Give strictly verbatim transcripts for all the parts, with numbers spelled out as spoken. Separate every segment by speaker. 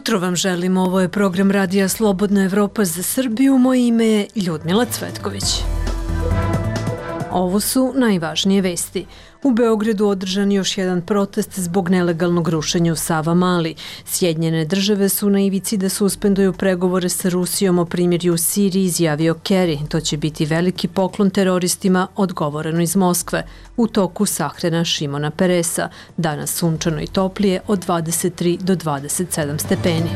Speaker 1: jutro vam želim, ovo je program Radija Slobodna Evropa za Srbiju, moje ime je Ljudmila Cvetković. Ovo su najvažnije vesti. U Beogradu održan još jedan protest zbog nelegalnog rušenja u Savamali. Sjedinjene države su na ivici da suspenduju pregovore sa Rusijom o primirju u Siriji, izjavio Kerry. To će biti veliki poklon teroristima, odgovoreno iz Moskve. U toku sahrana Šimona Peresa. Danas sunčano i toplije od dvadeset tri do dvadeset sedam stepeni.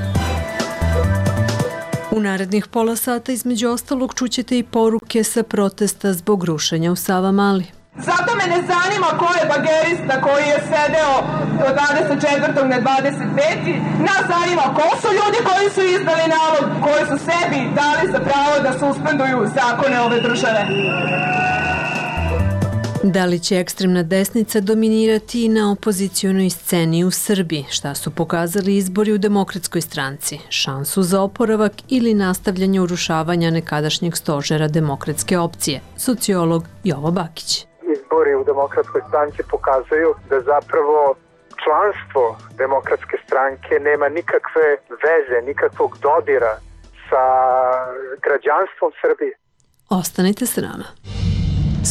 Speaker 1: U narednih pola sata između ostalog čućete i poruke sa protesta zbog rušenja u Savamali.
Speaker 2: Zato me ne zanima ko je bagerista koji je sedeo do dvadeset četvrtog na dvadeset peti Nas zanima ko su ljudi koji su izdali nalog, koji su sebi dali za pravo da suspenduju zakone ove države.
Speaker 1: Da li će ekstremna desnica dominirati na opozicionoj sceni u Srbiji? Šta su pokazali izbori u Demokratskoj stranci? Šansu za oporavak ili nastavljanje urušavanja nekadašnjeg stožera demokratske opcije? Sociolog Jovo Bakić.
Speaker 3: Izbori u Demokratskoj stranci pokazuju da zapravo članstvo Demokratske stranke nema nikakve veze, nikakvog dodira sa građanstvom Srbije.
Speaker 1: Ostanite s nama.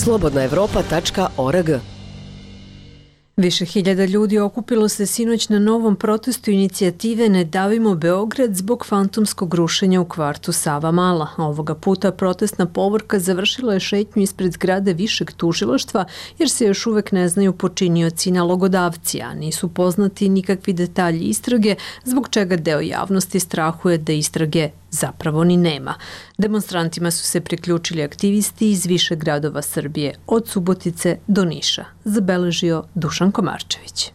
Speaker 4: slobodna evropa tačka org.
Speaker 1: Više hiljada ljudi okupilo se sinoć na novom protestu inicijative Ne davimo Beograd zbog fantomskog rušenja u kvartu Savamala. Ovoga puta protestna povorka završila je šetnju ispred zgrade višeg tužilaštva jer se još uvek ne znaju počinioci i nalogodavci, a nisu poznati nikakvi detalji istrage, zbog čega deo javnosti strahuje da istrage zapravo ni nema. Demonstrantima su se priključili aktivisti iz više gradova Srbije, od Subotice do Niša, zabeležio Dušan Komarčević.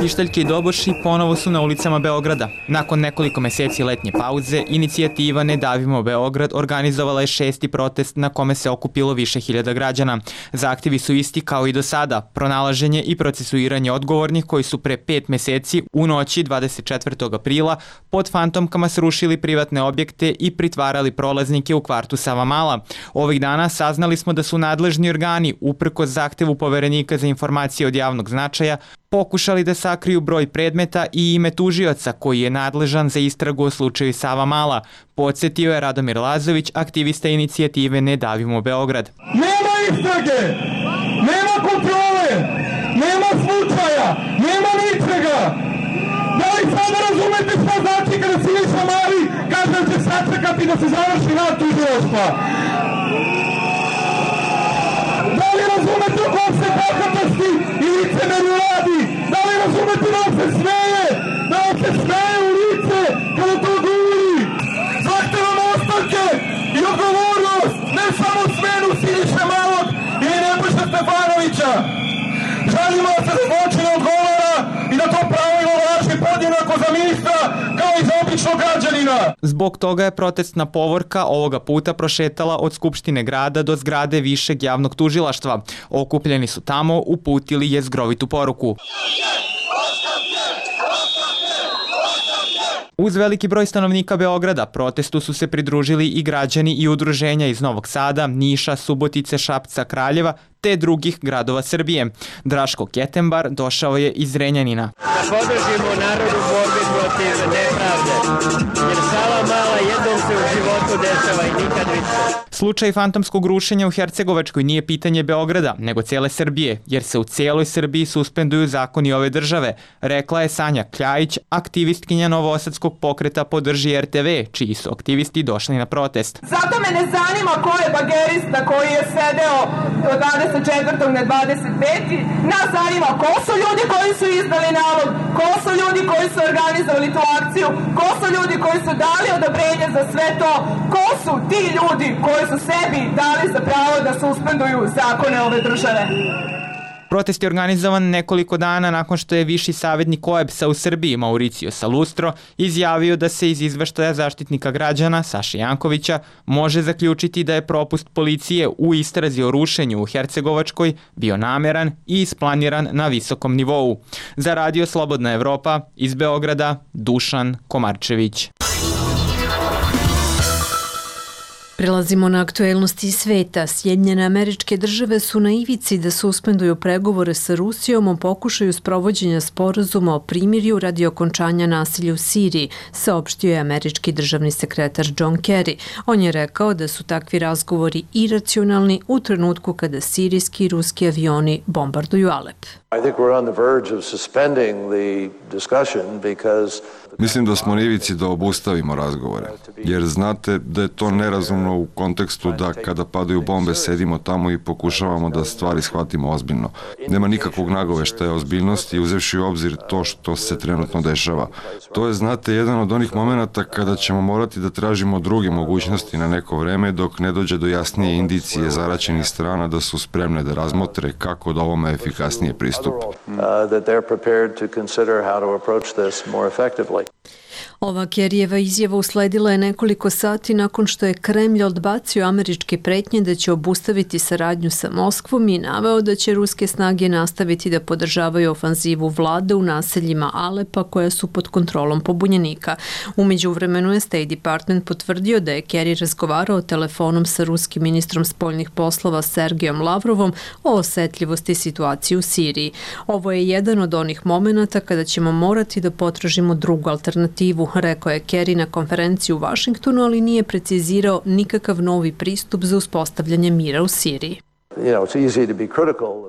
Speaker 5: Pištaljke i doboši ponovo su na ulicama Beograda. Nakon nekoliko meseci letnje pauze, inicijativa Ne davimo Beograd organizovala je šesti protest na kome se okupilo više hiljada građana. Zahtevi su isti kao i do sada, pronalaženje i procesuiranje odgovornih koji su pre pet meseci u noći dvadeset četvrtog aprila pod fantomkama srušili privatne objekte i pritvarali prolaznike u kvartu Savamala. Ovih dana saznali smo da su nadležni organi, uprkos zahtevu Poverenika za informacije od javnog značaja, pokušali da sakriju broj predmeta i ime tužioca koji je nadležan za istragu o slučaju Savamala, podsjetio je Radomir Lazović, aktivista inicijative Ne davimo Beograd.
Speaker 6: Nema istrage, nema kontrole, nema slučaja, nema ničega. Da li sada razumete šta znači kada Siniša Mali kaže da će sačekati da se završi rad tužilaštva? Da li razumete o kom se bahatosti i licemerju radi? Da li razumete da on se smeje? Da on se smeje u lice kada to govori? Zahtevamo ostavke i odgovornost, ne samo smenu Siniše Malog ili Nebojše Stefanovića. Želimo da se za zločine odgovara i da to pravilo važi podjednako za ministra kao i za običnog građanina.
Speaker 5: Zbog toga je protestna povorka ovoga puta prošetala od Skupštine grada do zgrade višeg javnog tužilaštva. Okupljeni su tamo uputili jezgrovitu poruku. Uz veliki broj stanovnika Beograda protestu su se pridružili i građani i udruženja iz Novog Sada, Niša, Subotice, Šapca, Kraljeva te drugih gradova Srbije. Draško Ketembar došao je iz Renjanina.
Speaker 7: Podržimo narod u borbi protiv nepravde, jer Savamala jednom se u životu dešava i nikad više.
Speaker 5: Slučaj fantomskog rušenja u Hercegovačkoj nije pitanje Beograda, nego cele Srbije, jer se u cijeloj Srbiji suspenduju zakoni ove države, rekla je Sanja Kljajić, aktivistkinja Novosadskog pokreta Podrži er te ve, čiji su aktivisti došli na protest.
Speaker 2: Zato me ne zanima ko je bagerista koji je sedeo do dvadeset četvrtog na dvadeset peti Nas zanima ko su ljudi koji su izdali nalog, ko su ljudi koji su organizovali tu akciju, ko su ljudi koji su dali odobrenje za sve to, ko su ti ljudi koji su sebi dali za pravo da suspenduju zakone ove države.
Speaker 5: Protest je organizovan nekoliko dana nakon što je viši savjetnik O E B S-a u Srbiji, Mauricio Salustro, izjavio da se iz izveštaja Zaštitnika građana, Saše Jankovića, može zaključiti da je propust policije u istrazi o rušenju u Hercegovačkoj bio nameran i isplaniran na visokom nivou. Za Radio Slobodna Evropa, iz Beograda, Dušan Komarčević.
Speaker 1: Prelazimo na aktuelnosti sveta. Sjedinjene Američke Države su na ivici da suspenduju pregovore sa Rusijom o pokušaju sprovođenja sporazuma o primirju radi okončanja nasilja u Siriji, saopštio je američki državni sekretar John Kerry. On je rekao da su takvi razgovori iracionalni u trenutku kada sirijski i ruski avioni bombarduju Alep.
Speaker 8: Mislim da smo na ivici da obustavimo razgovore, jer znate da je to nerazumno u kontekstu da kada padaju bombe sedimo tamo i pokušavamo da stvari shvatimo ozbiljno. Nema nikakvog nagoveštaja ozbiljnosti uzevši u obzir to što se trenutno dešava. To je, znate, jedan od onih momenata kada ćemo morati da tražimo druge mogućnosti na neko vreme dok ne dođe do jasnije indicije zaraćenih strana da su spremne da razmotre kako da ovome efikasnije pristupe.
Speaker 1: Ova Kerryjeva izjava usledila je nekoliko sati nakon što je Kremlj odbacio američke pretnje da će obustaviti saradnju sa Moskvom i naveo da će ruske snage nastaviti da podržavaju ofanzivu vlade u naseljima Alepa koja su pod kontrolom pobunjenika. U međuvremenu je State Department potvrdio da je Kerry razgovarao telefonom sa ruskim ministrom spoljnih poslova Sergejom Lavrovom o osetljivosti situacije u Siriji. Ovo je jedan od onih momenata kada ćemo morati da potražimo drugu alternativu, rekao je Kerry na konferenciji u Vašingtonu, ali nije precizirao nikakav novi pristup za uspostavljanje mira u Siriji.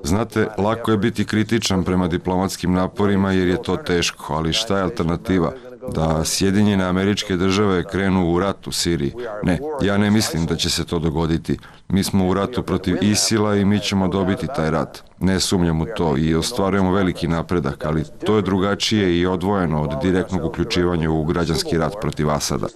Speaker 8: Znate, lako je biti kritičan prema diplomatskim naporima jer je to teško, ali šta je alternativa? Da Sjedinjene Američke Države krenu u rat u Siriji? Ne, ja ne mislim da će se to dogoditi. Mi smo u ratu protiv Isila i mi ćemo dobiti taj rat. Ne sumnjam u to i ostvarujemo veliki napredak, ali to je drugačije i odvojeno od direktnog uključivanja u građanski rat protiv Asada.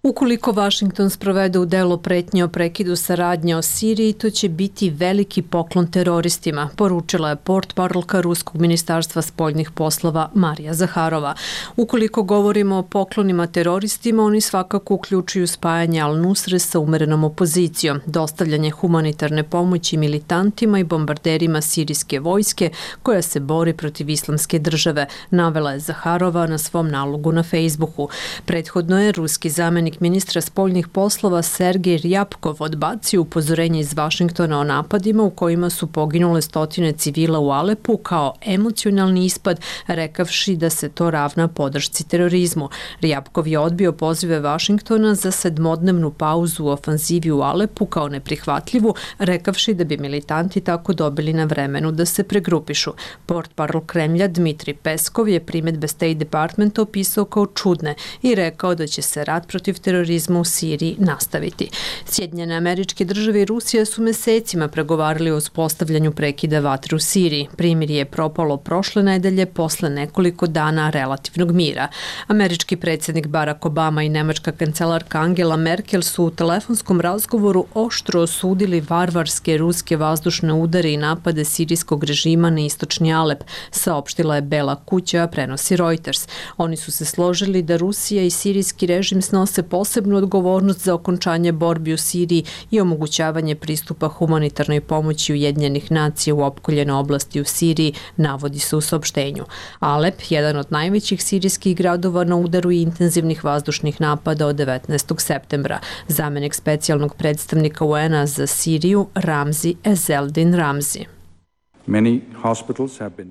Speaker 1: Ukoliko Vašington sprovede u delo pretnje o prekidu saradnje o Siriji, to će biti veliki poklon teroristima, poručila je portparolka Ruskog ministarstva spoljnih poslova Marija Zaharova. Ukoliko govorimo o poklonima teroristima, oni svakako uključuju spajanje Al-Nusre sa umerenom opozicijom, dostavljanje humanitarne pomoći militantima i bombarderima sirijske vojske koja se bori protiv islamske države, navela je Zaharova na svom nalogu na Facebooku. Prethodno je ruski zamenik ministra spoljnih poslova Sergej Rjapkov odbacio upozorenje iz Vašingtona o napadima u kojima su poginule stotine civila u Alepu kao emocionalni ispad, rekavši da se to ravna podršci terorizmu. Rjapkov je odbio pozive Vašingtona za sedmodnevnu pauzu u ofanzivi u Alepu kao neprihvatljivu, rekavši da bi militanti tako dobili na vremenu da se pregrupišu. Portparol Kremlja Dmitri Peskov je primedbe State Departmenta opisao kao čudne i rekao da će se rat protiv terorizma u Siriji nastaviti. Sjedinjene Američke Države i Rusija su mesecima pregovarali o uspostavljanju prekida vatre u Siriji. Primirje je propalo prošle nedelje posle nekoliko dana relativnog mira. Američki predsjednik Barack Obama i nemačka kancelarka Angela Merkel su u telefonskom razgovoru oštro osudili varvarske ruske vazdušne udare i napade sirijskog režima na istočni Alep, saopštila je Bela kuća, prenosi Reuters. Oni su se složili da Rusija i sirijski režim snose posebnu odgovornost za okončanje borbi u Siriji i omogućavanje pristupa humanitarnoj pomoći Ujedinjenih nacija u opkoljenoj oblasti u Siriji, navodi se u saopštenju. Alep, jedan od najvećih sirijskih gradova na udaru i intenzivnih vazdušnih napada od devetnaestog septembra. Zamenik specijalnog predstavnika U N-a za Siriju Ramzi Ezeldin Ramzi.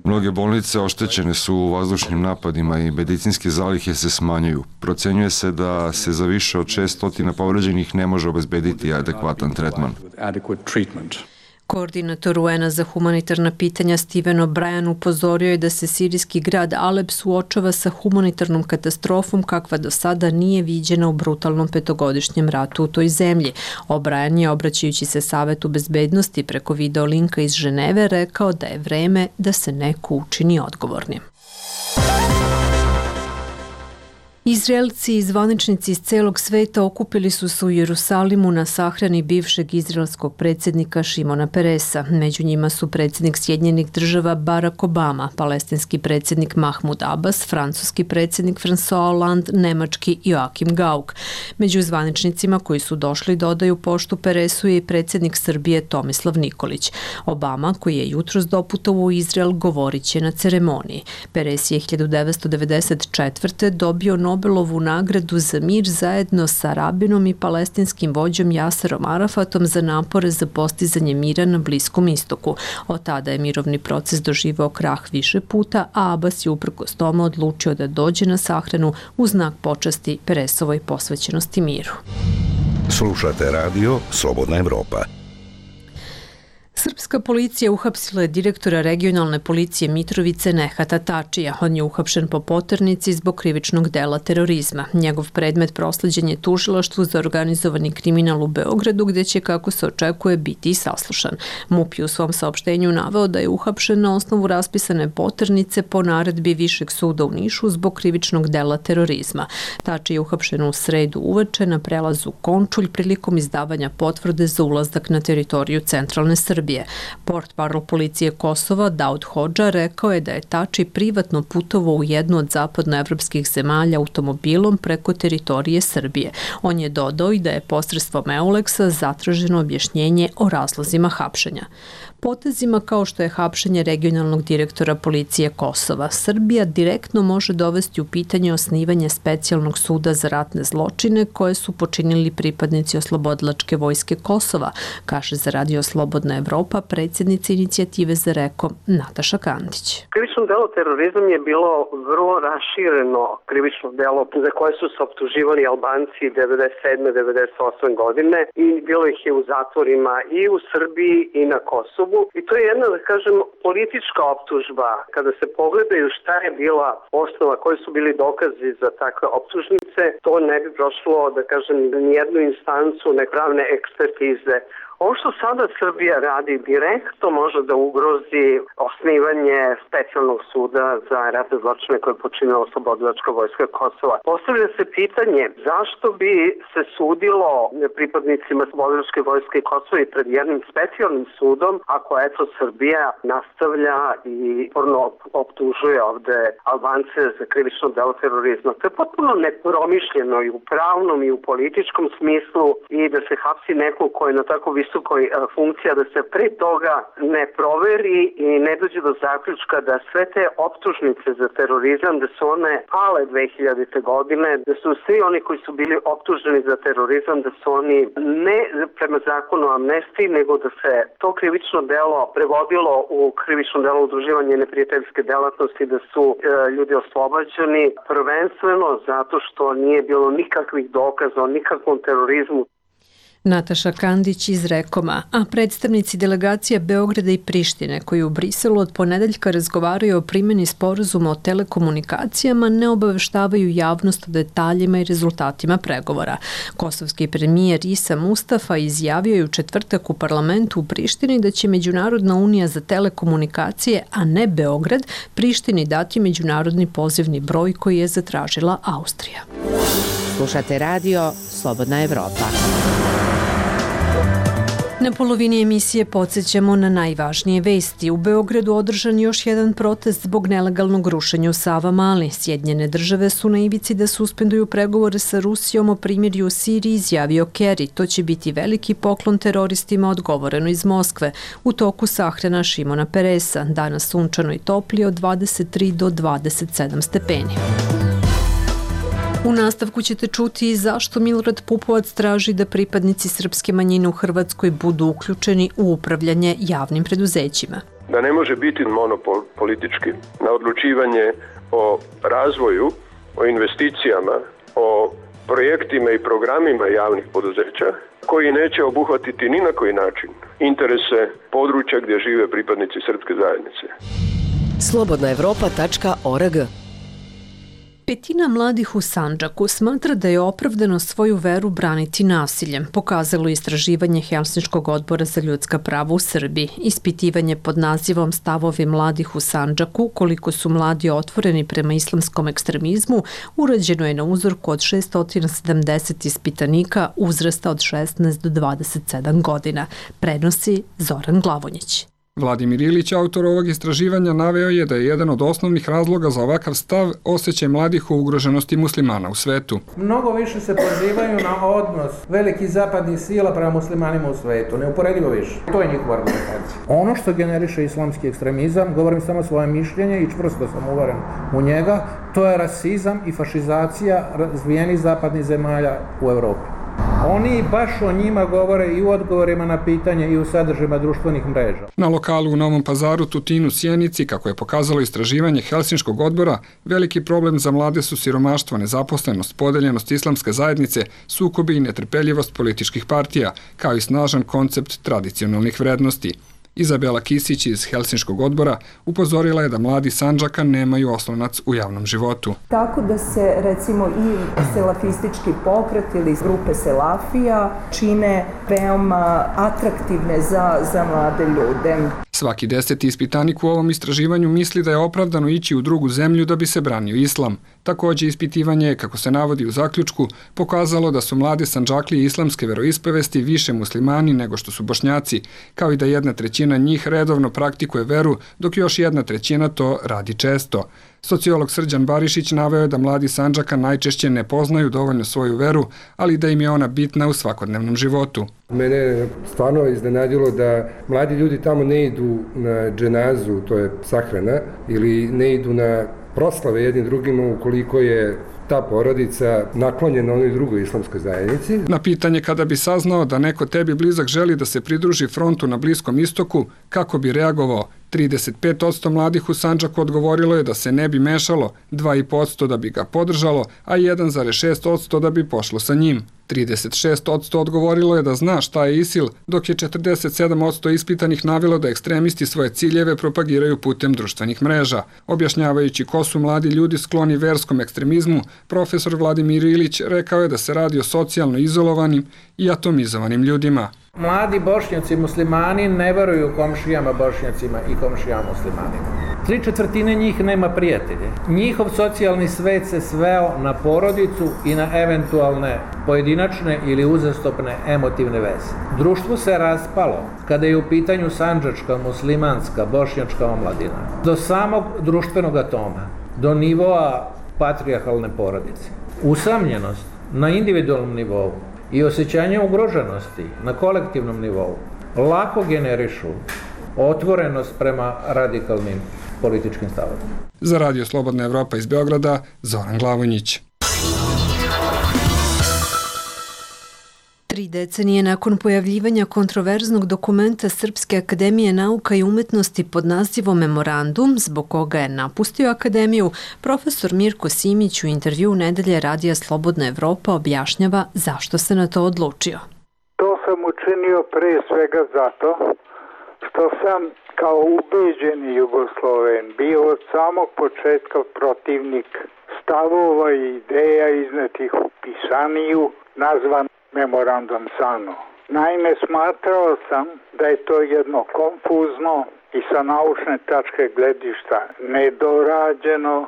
Speaker 8: Mnoge bolnice oštećene su u vazdušnim napadima i medicinske zalihe se smanjuju. Procenjuje se da se za više od šessto povređenih ne može obezbediti adekvatan tretman.
Speaker 1: Koordinator U N-a za humanitarna pitanja Steven O'Brien upozorio je da se sirijski grad Alep suočava sa humanitarnom katastrofom kakva do sada nije viđena u brutalnom petogodišnjem ratu u toj zemlji. O'Brien je, obraćajući se Savetu bezbednosti preko video linka iz Ženeve, rekao da je vreme da se neko učini odgovornim. Izraelci i zvaničnici iz celog sveta okupili su se u Jerusalimu na sahrani bivšeg izraelskog predsjednika Šimona Peresa. Među njima su predsjednik Sjedinjenih Država Barack Obama, palestinski predsjednik Mahmud Abbas, francuski predsjednik François Hollande, nemački Joachim Gauck. Među zvaničnicima koji su došli da odaju poštu Peresu je i predsjednik Srbije Tomislav Nikolić. Obama, koji je jutros doputovao u Izrael, govorit će na ceremoniji. Peres je hiljadu devetsto devedeset četvrte dobio Nobel Nobelovu nagradu za mir zajedno sa rabinom i palestinskim vođom Jaserom Arafatom za napore za postizanje mira na Bliskom istoku. Od tada je mirovni proces doživao krah više puta, a Abbas je uprkos tome odlučio da dođe na sahranu u znak počasti Peresovoj posvećenosti miru.
Speaker 9: Slušate radio Slobodna Evropa.
Speaker 1: Srpska policija uhapsila je direktora regionalne policije Mitrovice Nehata Tačija. On je uhapšen po poternici zbog krivičnog dela terorizma. Njegov predmet prosleđen je tužilaštvu za organizovani kriminal u Beogradu, gde će, kako se očekuje, biti i saslušan. MUP je u svom saopštenju naveo da je uhapšen na osnovu raspisane poternice po naredbi Višeg suda u Nišu zbog krivičnog dela terorizma. Tači je uhapšen u sredu uveče na prelazu Končulj prilikom izdavanja potvrde za ulazak na teritoriju centralne Srbije. Portparol policije Kosova Daud Hodža rekao je da je Tači privatno putovao u jednu od zapadnoevropskih zemalja automobilom preko teritorije Srbije. On je dodao i da je posredstvom Euleksa zatraženo objašnjenje o razlozima hapšenja. Potezima kao što je hapšenje regionalnog direktora policije Kosova, Srbija direktno može dovesti u pitanje osnivanje specijalnog suda za ratne zločine koje su počinili pripadnici oslobodilačke vojske Kosova, kaže za radio Slobodna Evropa predsjednica inicijative za Reko Nataša Kandić.
Speaker 10: Krivično delo terorizam je bilo vrlo rašireno krivično delo za koje su se optuživali Albanci devedeset sedme devedeset osme godine i bilo ih je u zatvorima i u Srbiji i na Kosovu. I to je jedna, da kažem, politička optužba. Kada se pogledaju šta je bila osnova, koji su bili dokazi za takve optužnice, to ne bi prošlo, da kažem, nijednu instancu nepravne ekspertize. Ovo što sada Srbija radi direktno može da ugrozi osnivanje specijalnog suda za ratne zločine koje je počinila oslobodilačka vojska Kosova. Postavlja se pitanje zašto bi se sudilo pripadnicima oslobodilačke vojske Kosova i pred jednim specijalnim sudom ako eto Srbija nastavlja i porno optužuje ovde Albance za krivično delo terorizma. To je potpuno nepromišljeno i u pravnom i u političkom smislu i da se hapsi neko ko je na tako visokoj funkcija, da se pre toga ne proveri i ne dođe do zaključka da sve te optužnice za terorizam, da su one pale dve hiljadite godine, da su svi oni koji su bili optuženi za terorizam, da su oni ne prema zakonu o amnestiji, nego da se to krivično delo prevodilo u krivično delo udruživanje neprijateljske delatnosti, da su e, ljudi oslobađani prvenstveno zato što nije bilo nikakvih dokaza o nikakvom terorizmu.
Speaker 1: Nataša Kandić iz Rekoma, a predstavnici delegacija Beograda i Prištine koji u Briselu od ponedeljka razgovaraju o primjeni sporazuma o telekomunikacijama ne obaveštavaju javnost o detaljima i rezultatima pregovora. Kosovski premijer Isa Mustafa izjavio je u četvrtak u parlamentu u Prištini da će Međunarodna unija za telekomunikacije, a ne Beograd, Prištini dati međunarodni pozivni broj koji je zatražila Austrija.
Speaker 4: Slušate radio Slobodna Evropa.
Speaker 1: Na polovini emisije podsjećamo na najvažnije vesti. U Beogradu održan još jedan protest zbog nelegalnog rušenja u Savamali. Sjedinjene države su na ivici da suspenduju pregovore sa Rusijom o primirju u Siriji, izjavio Kerry. To će biti veliki poklon teroristima, odgovoreno iz Moskve. U toku sahrana Šimona Peresa. Danas sunčano i toplije od dvadeset tri do dvadeset sedam stepeni. U nastavku ćete čuti zašto Milorad Pupovac traži da pripadnici srpske manjine u Hrvatskoj budu uključeni u upravljanje javnim preduzećima.
Speaker 11: Da ne može biti monopol politički na odlučivanje o razvoju, o investicijama, o projektima i programima javnih poduzeća koji neće obuhvatiti ni na koji način interese područja gdje žive pripadnici srpske zajednice.
Speaker 4: slobodna evropa tačka org.
Speaker 1: Petina mladih u Sandžaku smatra da je opravdano svoju veru braniti nasiljem, pokazalo istraživanje Helsinškog odbora za ljudska prava u Srbiji. Ispitivanje pod nazivom Stavovi mladih u Sandžaku, koliko su mladi otvoreni prema islamskom ekstremizmu, urađeno je na uzorku od šesto sedamdeset ispitanika uzrasta od šesnaest do dvadeset sedam godina, prenosi Zoran Glavonjić.
Speaker 12: Vladimir Ilić, autor ovog istraživanja, naveo je da je jedan od osnovnih razloga za ovakav stav osjećaj mladih o ugroženosti muslimana u svetu.
Speaker 13: Mnogo više se pozivaju na odnos velikih zapadnih sila prema muslimanima u svetu, neuporedivo više. To je njihova argumentacija. Ono što generiše islamski ekstremizam, govorim samo svoje mišljenje i čvrsto sam uveren u njega, to je rasizam i fašizacija razvijenih zapadnih zemalja u Evropi. Oni baš o njima govore i u odgovorima na pitanje i u sadržajima društvenih mreža.
Speaker 12: Na lokalu u Novom Pazaru, Tutinu, Sjenici, kako je pokazalo istraživanje Helsinškog odbora, veliki problem za mlade su siromaštvo, nezaposlenost, podeljenost islamske zajednice, sukobi i netrpeljivost političkih partija, kao i snažan koncept tradicionalnih vrednosti. Izabela Kisić iz Helsinškog odbora upozorila je da mladi Sandžaka nemaju oslonac u javnom životu.
Speaker 14: Tako da se recimo i selafistički pokret ili grupe selafija čine veoma atraktivne za, za mlade ljude.
Speaker 12: Svaki deseti ispitanik u ovom istraživanju misli da je opravdano ići u drugu zemlju da bi se branio islam. Takođe, ispitivanje je, kako se navodi u zaključku, pokazalo da su mlade Sandžaklije islamske veroispovesti više muslimani nego što su Bošnjaci, kao i da jedna trećina njih redovno praktikuje veru, dok još jedna trećina to radi često. Sociolog Srđan Barišić naveo je da mladi Sandžaka najčešće ne poznaju dovoljno svoju veru, ali da im je ona bitna u svakodnevnom životu.
Speaker 15: Mene je stvarno iznenadilo da mladi ljudi tamo ne idu na dženazu, to je sahrana, ili ne idu na proslave jednim drugima ukoliko je ta porodica naklonjena onoj drugoj islamskoj zajednici.
Speaker 12: Na pitanje kada bi saznao da neko tebi blizak želi da se pridruži frontu na Bliskom istoku, kako bi reagovao, trideset pet posto mladih u Sandžaku odgovorilo je da se ne bi mešalo, dva i po posto da bi ga podržalo, a jedan zarez šest posto da bi pošlo sa njim. trideset šest posto odgovorilo je da zna šta je ISIL, dok je četrdeset sedam posto ispitanih navelo da ekstremisti svoje ciljeve propagiraju putem društvenih mreža. Objašnjavajući ko su mladi ljudi skloni verskom ekstremizmu, profesor Vladimir Ilić rekao je da se radi o socijalno izolovanim i atomizovanim ljudima.
Speaker 13: Mladi Bošnjaci muslimani ne veruju komšijama Bošnjacima i komšijama muslimanima. Tri četvrtine njih nema prijatelje. Njihov socijalni svet se sveo na porodicu i na eventualne pojedinačne ili uzastopne emotivne veze. Društvo se raspalo kada je u pitanju sandžačka, muslimanska, bošnjačka omladina. Do samog društvenog atoma, do nivoa patrijarhalne porodice. Usamljenost na individualnom nivou i osjećanje ugroženosti na kolektivnom nivou lako generišu otvorenost prema radikalnim političkim stavovima.
Speaker 12: Za Radio Slobodna Evropa iz Beograda, Zoran Glavonjić.
Speaker 1: Tri decenije nakon pojavljivanja kontroverznog dokumenta Srpske akademije nauka i umetnosti pod nazivom Memorandum, zbog koga je napustio akademiju, profesor Mirko Simić u intervju Nedelje Radija Slobodna Evropa objašnjava zašto se na to odlučio.
Speaker 3: To sam učinio pre svega zato što sam kao ubeđeni Jugosloven bio od samog početka protivnik stavova i ideja iznetih u pisaniju nazvan Memorandum Sano. Naime, smatrao sam da je to jedno konfuzno i sa naučne tačke gledišta nedorađeno,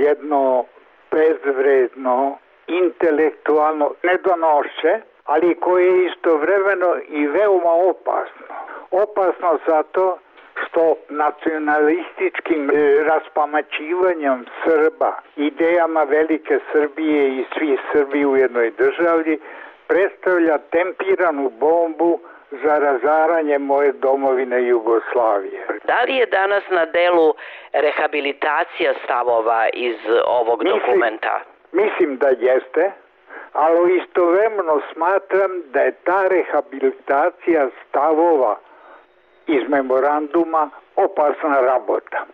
Speaker 3: jedno bezvredno, intelektualno nedonošće, ali koje je istovremeno i veoma opasno. Opasno zato što nacionalističkim raspamaćivanjem Srba, idejama velike Srbije i svi Srbi u jednoj državi, predstavlja tempiranu bombu za razaranje moje domovine Jugoslavije.
Speaker 16: Da li je danas na delu rehabilitacija stavova iz ovog
Speaker 3: mislim,
Speaker 16: dokumenta?
Speaker 3: Mislim da jeste, ali istovremeno smatram da je ta rehabilitacija stavova iz memoranduma opasna rabota.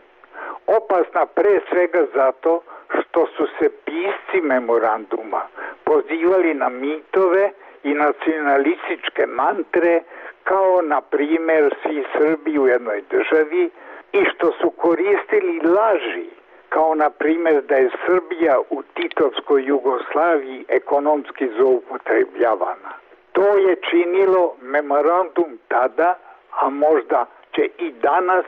Speaker 3: Opasna pre svega zato što su se pisci memoranduma pozivali na mitove i nacionalističke mantre kao na primjer svi Srbi u jednoj državi i što su koristili laži kao na primjer da je Srbija u Titovskoj Jugoslaviji ekonomski zloupotrebljavana. To je činilo memorandum tada, a možda će i danas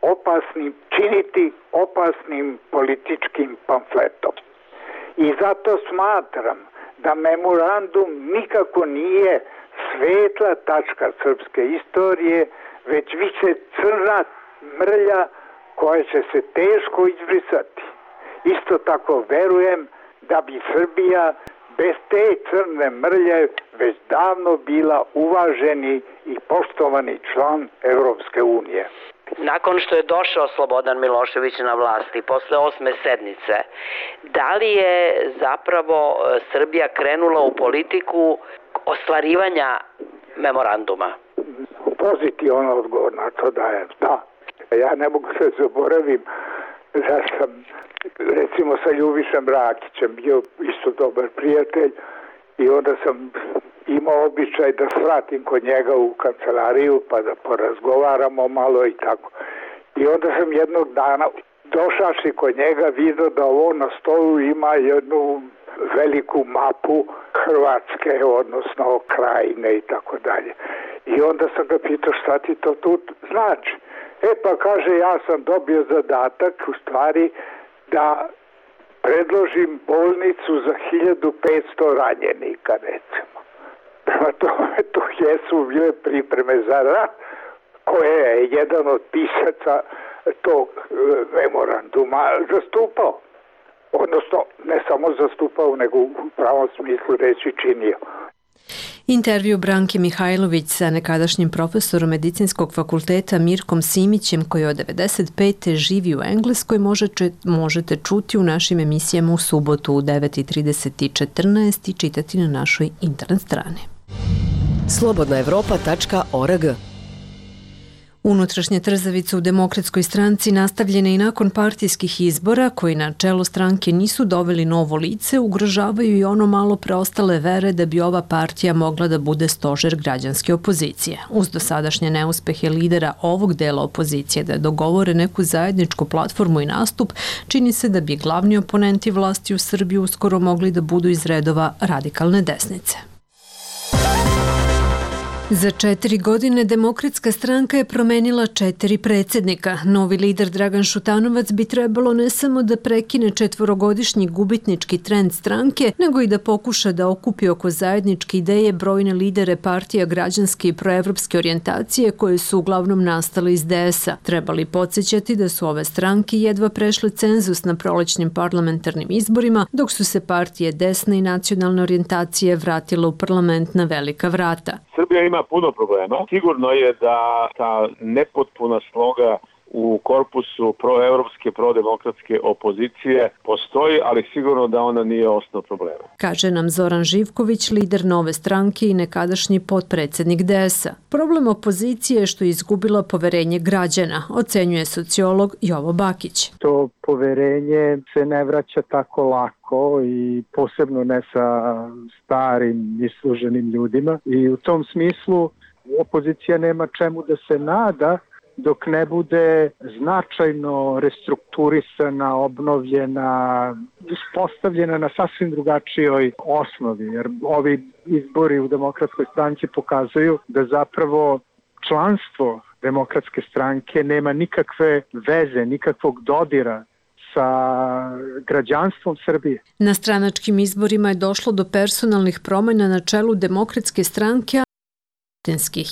Speaker 3: opasnim, činiti opasnim političkim pamfletom. I zato smatram da memorandum nikako nije svetla tačka srpske istorije,
Speaker 17: već više crna mrlja koja će se teško izbrisati. Isto tako verujem da bi Srbija bez te crne mrlje već davno bila uvaženi i poštovani član Evropske unije.
Speaker 16: Nakon što je došao Slobodan Milošević na vlasti, posle osme sednice, da li je zapravo Srbija krenula u politiku ostvarivanja memoranduma?
Speaker 17: Pozitivan odgovor na to dajem, da. Ja ne mogu se zaboravim da sam recimo sa Ljubišem Rakićem bio isto dobar prijatelj i onda sam imao običaj da svratim kod njega u kancelariju pa da porazgovaramo malo i tako. I onda sam jednog dana došavši kod njega vidio da ovo na stolu ima jednu veliku mapu Hrvatske, odnosno Krajine i tako dalje. I onda sam ga pitao šta ti to tu znači. E pa kaže, ja sam dobio zadatak u stvari da predložim bolnicu za hiljadu petsto ranjenika, recimo. Prema tome, to jesu bile pripreme za rat, koje je jedan od pisaca tog memoranduma zastupao. Odnosno, ne samo zastupao, nego u pravom smislu reći činio.
Speaker 1: Intervju Branke Mihajlović sa nekadašnjim profesorom medicinskog fakulteta Mirkom Simićem, koji od devedeset pete živi u Engleskoj, možete, možete čuti u našim emisijama u subotu u devet i trideset i četrnaest i čitati na našoj internet strani.
Speaker 4: slobodna evropa tačka org.
Speaker 1: Unutrašnje trzavice u Demokratskoj stranci nastavljene i nakon partijskih izbora, koji na čelo stranke nisu doveli novo lice, ugrožavaju i ono malo preostale vere da bi ova partija mogla da bude stožer građanske opozicije. Uz dosadašnje neuspehe lidera ovog dela opozicije da dogovore neku zajedničku platformu i nastup, čini se da bi glavni oponenti vlasti u Srbiji uskoro mogli da budu iz redova radikalne desnice. Za četiri godine Demokratska stranka je promenila četiri predsjednika. Novi lider Dragan Šutanovac bi trebalo ne samo da prekine četvorogodišnji gubitnički trend stranke, nego i da pokuša da okupi oko zajedničke ideje brojne lidere partija građanske i proevropske orijentacije koje su uglavnom nastale iz D S A. Trebali podsjećati da su ove stranke jedva prešle cenzus na prolećnim parlamentarnim izborima, dok su se partije desne i nacionalne orijentacije vratile u parlament na velika vrata.
Speaker 18: Srbija ima puno problema. Sigurno je da ta nepotpuna sloga u korpusu proevropske, prodemokratske opozicije postoji, ali sigurno da ona nije osnov problema.
Speaker 1: Kaže nam Zoran Živković, lider Nove stranke i nekadašnji potpredsjednik D S A. Problem opozicije je što je izgubila poverenje građana, ocenjuje sociolog Jovo Bakić.
Speaker 19: To poverenje se ne vraća tako lako i posebno ne sa starim isluženim ljudima i u tom smislu opozicija nema čemu da se nada dok ne bude značajno restrukturisana, obnovljena, uspostavljena na sasvim drugačijoj osnovi. Jer ovi izbori u Demokratskoj stranci pokazuju da zapravo članstvo Demokratske stranke nema nikakve veze, nikakvog dodira sa građanstvom Srbije.
Speaker 1: Na stranačkim izborima je došlo do personalnih promjena na čelu Demokratske stranke,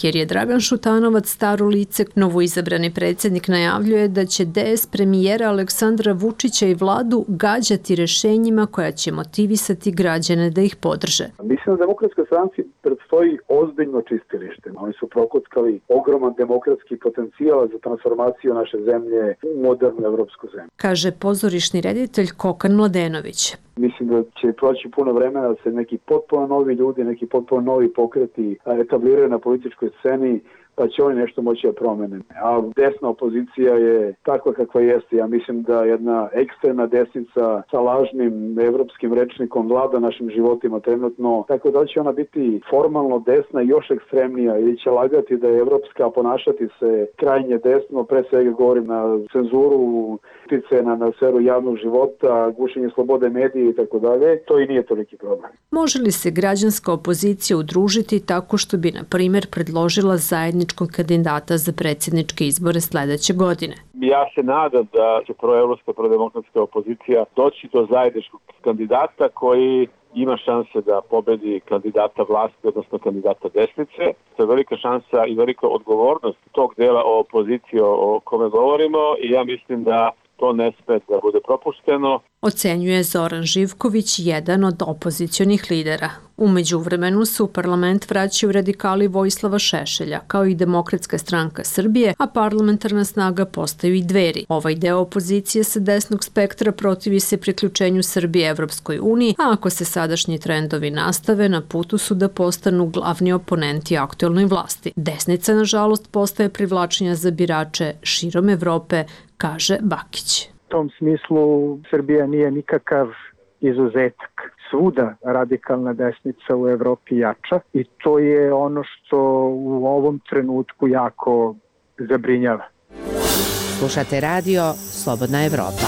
Speaker 1: jer je Dragan Šutanovac staro lice. Novoizabrani predsjednik najavljuje da će D S premijera Aleksandra Vučića i vladu gađati rešenjima koja će motivisati građane da ih podrže.
Speaker 20: Mislim da Demokratskoj stranci predstoji ozbiljno čistilište. Oni su prokockali ogroman demokratski potencijal za transformaciju naše zemlje u modernu evropsku zemlju.
Speaker 1: Kaže pozorišni reditelj Kokan Mladenović.
Speaker 20: Mislim da će proći puno vremena da se neki potpuno novi ljudi, neki potpuno novi pokreti etabliraju na političkoj sceni, pa će oni nešto moći da promene. A desna opozicija je takva kakva jeste. Ja mislim da jedna ekstremna desnica sa lažnim evropskim rečnikom vlada našim životima trenutno, tako da će ona biti formalno desna i još ekstremnija ili će lagati da je evropska, ponašati se krajnje desno, pre svega govorim na cenzuru, utice na, na sferu javnog života, gušenje slobode medije i tako dalje. To i nije toliki problem.
Speaker 1: Može li se građanska opozicija udružiti tako što bi, na primjer, predložila zajedničkog kandidata za predsjedničke izbore sledeće godine?
Speaker 18: Ja se nadam da će proevropska, prodemokratska opozicija doći do zajedničkog kandidata koji ima šanse da pobedi kandidata vlasti, odnosno kandidata desnice. To je velika šansa i velika odgovornost tog dela opozicije o kome govorimo i ja mislim da to ne sme da bude propušteno.
Speaker 1: Ocenjuje Zoran Živković, jedan od opozicionih lidera. U međuvremenu se u parlament vraćaju radikali Vojislava Šešelja, kao i Demokratska stranka Srbije, a parlamentarna snaga postaju i Dveri. Ovaj deo opozicije sa desnog spektra protivi se priključenju Srbije Evropskoj uniji, a ako se sadašnji trendovi nastave, na putu su da postanu glavni oponenti aktuelnoj vlasti. Desnica, nažalost, postaje privlačenja za birače širom Evrope, kaže Bakić.
Speaker 19: U tom smislu Srbija nije nikakav izuzetak. Svuda radikalna desnica u Evropi jača i to je ono što u ovom trenutku jako zabrinjava.
Speaker 4: Slušate radio Slobodna Evropa.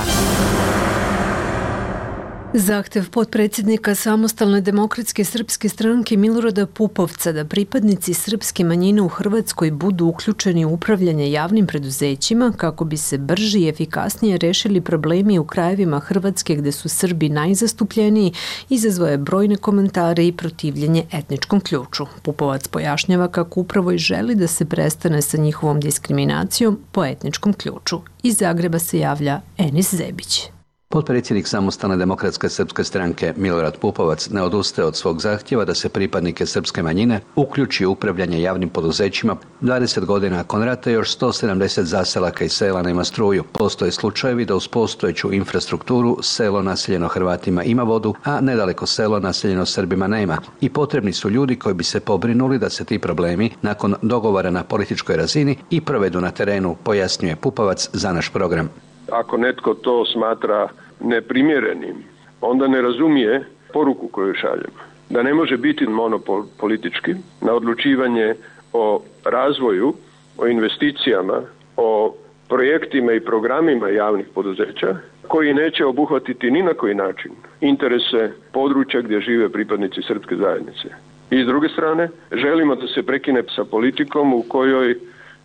Speaker 1: Zahtev potpredsjednika Samostalne demokratske srpske stranke Milorada Pupovca da pripadnici srpske manjine u Hrvatskoj budu uključeni u upravljanje javnim preduzećima kako bi se brže i efikasnije rešili problemi u krajevima Hrvatske gde su Srbi najzastupljeniji, izazvao je brojne komentare i protivljenje etničkom ključu. Pupovac pojašnjava kako upravo i želi da se prestane sa njihovom diskriminacijom po etničkom ključu. Iz Zagreba se javlja Enis Zebić.
Speaker 21: Potpredsjednik Samostalne demokratske srpske stranke Milorad Pupovac ne odustaje od svog zahtjeva da se pripadnike srpske manjine uključi u upravljanje javnim poduzećima. dvadeset godina nakon rata još sto sedamdeset zaselaka i sela nema struju. Postoje slučajevi da uz postojeću infrastrukturu selo naseljeno Hrvatima ima vodu, a nedaleko selo naseljeno Srbima nema. I potrebni su ljudi koji bi se pobrinuli da se ti problemi nakon dogovora na političkoj razini i provedu na terenu, pojasnjuje Pupovac za naš program.
Speaker 11: Ako netko to smatra neprimjerenim, onda ne razumije poruku koju šaljemo. Da ne može biti monopol politički na odlučivanje o razvoju, o investicijama, o projektima i programima javnih poduzeća koji neće obuhvatiti ni na koji način interese područja gdje žive pripadnici srpske zajednice. I s druge strane, želimo da se prekine sa politikom u kojoj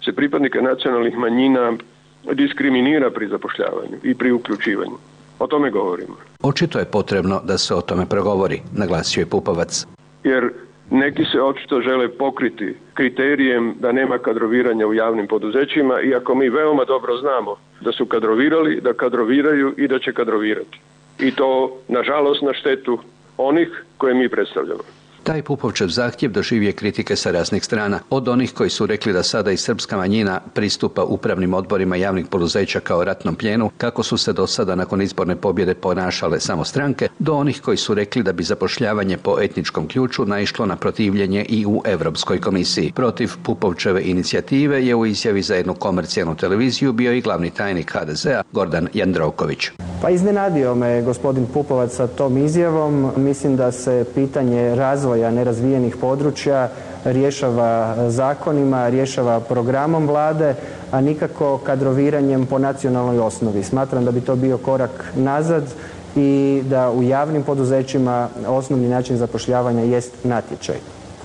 Speaker 11: se pripadnike nacionalnih manjina diskriminira pri zapošljavanju i pri uključivanju. O tome govorimo.
Speaker 21: Očito je potrebno da se o tome progovori, naglasio je Pupovac.
Speaker 11: Jer neki se očito žele pokriti kriterijem da nema kadroviranja u javnim poduzećima, iako mi veoma dobro znamo da su kadrovirali, da kadroviraju i da će kadrovirati. I to, nažalost, na štetu onih koje mi predstavljamo.
Speaker 21: Taj Pupovčev zahtjev doživio kritike sa raznih strana, od onih koji su rekli da sada i srpska manjina pristupa upravnim odborima javnih poduzeća kao ratnom plijenu, kako su se do sada nakon izborne pobjede ponašale samo stranke, do onih koji su rekli da bi zapošljavanje po etničkom ključu naišlo na protivljenje i u Europskoj komisiji. Protiv Pupovčeve inicijative je u izjavi za jednu komercijalnu televiziju bio i glavni tajnik ha de zea Gordan Jandroković.
Speaker 22: Pa iznenadio me gospodin Pupovac sa tom izjavom. Mislim da se pitanje razvoja nerazvijenih područja rješava zakonima, rješava programom vlade, a nikako kadroviranjem po nacionalnoj osnovi. Smatram da bi to bio korak nazad i da u javnim poduzećima osnovni način zapošljavanja jest natječaj.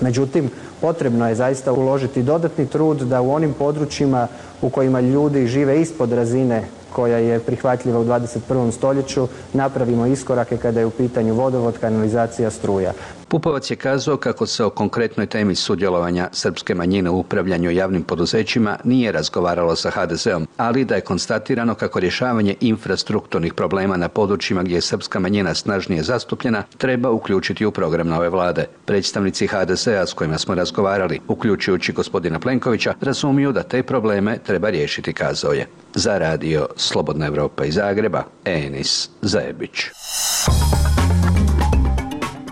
Speaker 22: Međutim, potrebno je zaista uložiti dodatni trud da u onim područjima u kojima ljudi žive ispod razine koja je prihvatljiva u dvadeset prvom stoljeću, napravimo iskorake kada je u pitanju vodovod, kanalizacija, struja.
Speaker 21: Pupovac je kazao kako se o konkretnoj temi sudjelovanja srpske manjine u upravljanju javnim poduzećima nije razgovaralo sa ha de zeom, ali da je konstatirano kako rješavanje infrastrukturnih problema na područjima gdje je srpska manjina snažnije zastupljena treba uključiti u program nove vlade. Predstavnici ha de zea s kojima smo razgovarali, uključujući gospodina Plenkovića, razumiju da te probleme treba riješiti, kazao je. Za radio Slobodna Evropa iz Zagreba, Enis Zebić.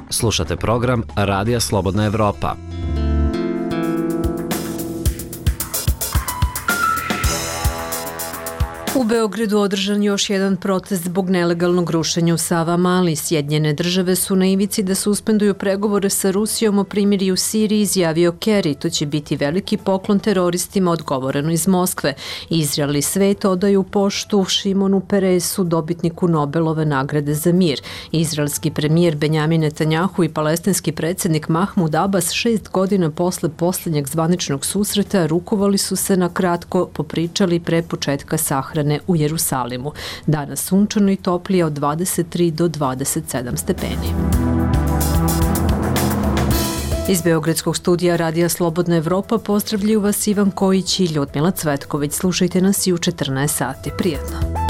Speaker 23: Slušate program Radija Slobodna Evropa.
Speaker 1: U Beogradu održan još jedan protest zbog nelegalnog rušenja u Savamali. Sjedinjene države su na ivici da suspenduju pregovore sa Rusijom o primirju u Siriji, izjavio Kerry. To će biti veliki poklon teroristima, odgovoreno iz Moskve. Izrael i svet odaju poštu Šimonu Peresu, dobitniku Nobelove nagrade za mir. Izraelski premijer Benjamin Netanjahu i palestinski predsjednik Mahmud Abbas šest godina posle posljednjeg zvaničnog susreta rukovali su se na kratko popričali pre početka sahrane u Jerusalimu. Danas sunčano i toplije od dvadeset tri do dvadeset sedam stepeni. Iz Beogradskog studija Radija Slobodna Evropa pozdravljaju vas Ivan Kojić i Ljudmila Cvetković. Slušajte nas i u četrnaest sati. Prijetno.